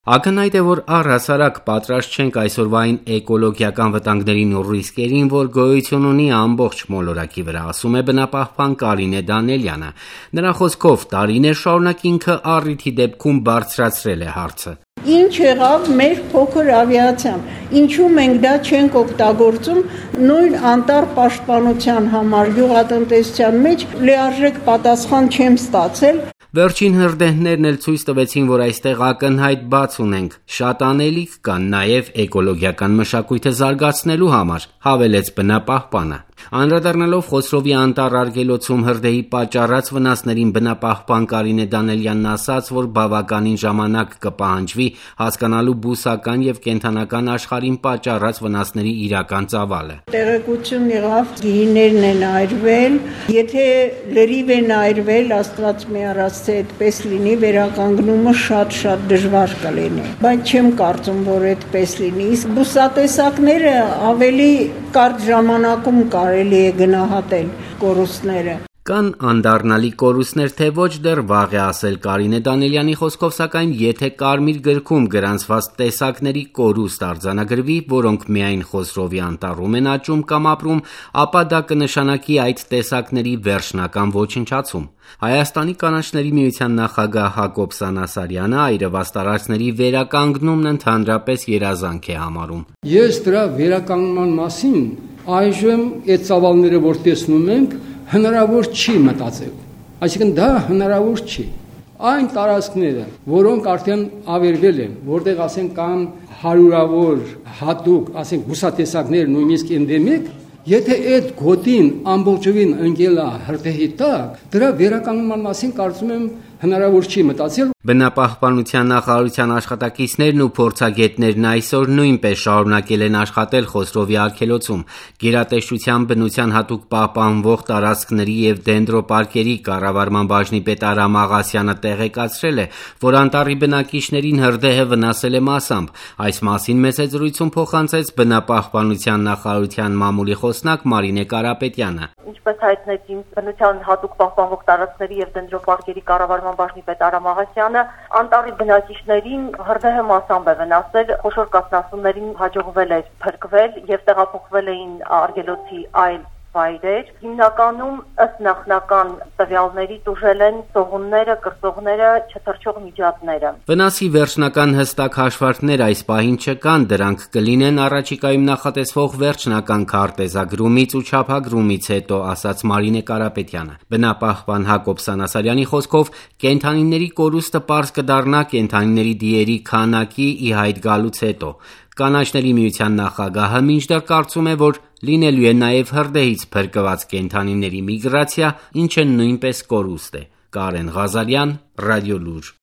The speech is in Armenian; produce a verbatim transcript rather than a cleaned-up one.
Ակնհայտ է, որ առհասարակ պատրաստ չենք այսօրվային էկոլոգիական վտանգներին ու ռիսկերին, որ գոյություն ունի ամբողջ մոլորակի վրա, ասում է բնապահպան Կարինե Դանիելյանը: Նրա խոսքով տարիներ շարունակ ինքը առիթի դեպքում բարձրացրել է հարցը: Ինչ եղավ մեր փոքր ավիացիան, ինչու մենք դա չենք օգտագործում նույն անտառ պաշտպանության համար, գյուղատնտեսության մեջ լիարժեք պատասխան չեմ ստացել: Վերջին հրդեհներն էլ ցույց տվեցին, որ այստեղ ակնհայտ բաց ունենք, շատ անելիք կա նաև էկոլոգիական մշակույթը զարգացնելու համար, հավելեց բնապահպանը: Անդրադառնալով Խոսրովի անտառ արգելոցում հրդեհի պատճառած վնասներին, բնապահպան Կարինե Դանիելյանն ասաց, որ բավականին ժամանակ կպահանջվի հասկանալու բուսական և կենդանական աշխարհին պատճառած վնասների իրական ծավալը: Տեղեկություն եղավ, գիիներն են այրվել, եթե լրիվ են այրվել, Աստված մի արած թե այդպես լինի, վերականգնումը շատ-շատ դժվար կլինի, բայց չեմ կարծում, որ այդպես լինի, իսկ բուսատեսակները ավելի կարճ ժամանակում կարելի է գնահատել կորուստները: Կան անդառնալի կորուստներ, թե ոչ դեռ վաղ է ասել Կարինե Դանիելյանի խոսքով, սակայն եթե Կարմիր գրքում գրանցված տեսակների կորուստ արձանագրվի, որոնք միայն Խոսրովի անտառում են աճում կամ ապրում, ապա դա կնշանակի այդ տեսակների վերջնական ոչնչացում: Հայաստանի կանաչների միության նախագահ Հակոբ Սանասարյանը այրված տարածքների վերականգնումն ընդհանրապես երազանք է համարում: Ես դրա վերականգնման մասին այժմ այդ ծավալները, որ տեսնում ենք, հնարավոր չի մտածել, այսինքն դա հնարավոր չի: Այն տարածքները, որոնք արդեն ավերվել են, որտեղ ասենք կան հարյուրավոր հատուկ, ասենք բուսատեսակներ, նույնիսկ էնդեմիկ, եթե այդ գոտին ամբողջովին ընկել է հրդեհի տակ, դրա վերականգնման մասին կարծում եմ հնարավոր չի մտածել: Բնապահպանության նախարարության աշխատակիցներն ու փորձագետներն այսօր նույնպես շարունակել են աշխատել Խոսրովի արգելոցում: Գերատեսչության բնության հատուկ պահպանվող տարածքների և դենդրոպարկերի կառավարման բաժնի պետ Արամ Աղասյանը տեղեկացրել է, որ անտառի բնակիչներին հրդեհը վնասել է մասամբ: Այս մասին մեծ զրույցում փոխանցեց բնապահպանության նախարարության մամուլի խոսնակ Մարինե Կարապետյանը: Ինչպես հայտնեց բնության հատուկ պահպանվող տարածքների և դենդրոպարկերի կառավարման բաժնի պետ Արամ Աղասյանը, անտառի բնակիչներին հրդեհը մասամբ է վնասել, խոշոր կաթնասուններին հաջողվել է փրկվել և տեղափոխվել էին արգելոցի այլ վայրեր: Հիմնականում ըստ նախնական տվյալների տուժել են սողունները, կրծողները, չթռչող միջատները: Վնասի վերջնական հստակ հաշվարկներ այս պահին չկան, դրանք կլինեն առաջիկայում նախատեսվող վերջնական քարտեզագրումից ու չափագրումից հետո, ասաց Մարինե Կարապետյանը: Բնապահպան Հակոբ Սանասարյանի խոսքով, կենդանիների կորուստը պարզ կդառնա կենդանիների դիերի քանակի ի հայտ գալուց հետո: Կանաչների միության նախագահը մինչդեռ կարծում է, որ լինելու է նաև հրդեհից փրկված կենդանիների միգրացիա, ինչը նույնպես կորուստ է: Կարեն Ղազարյան, Ռադիոլուր: